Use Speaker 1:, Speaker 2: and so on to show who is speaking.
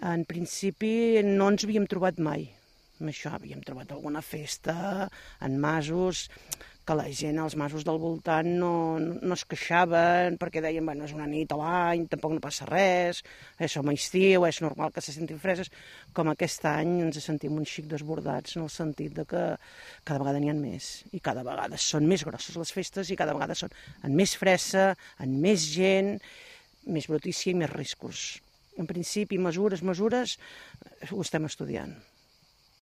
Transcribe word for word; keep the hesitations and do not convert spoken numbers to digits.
Speaker 1: En principi no ens havíem trobat mai amb això. Havíem trobat alguna festa en masos, que la gent als masos del voltant no, no es queixaven perquè deien, bueno, és una nit a l'any, tampoc no passa res, eh, som a estiu, és normal que se sentin freses. Com aquest any ens sentim un xic desbordats en el sentit de que cada vegada n'hi ha més i cada vegada són més grosses les festes i cada vegada són en més fressa, en més gent, més brutícia i més riscos. En principi, mesures, mesures, ho estem estudiant.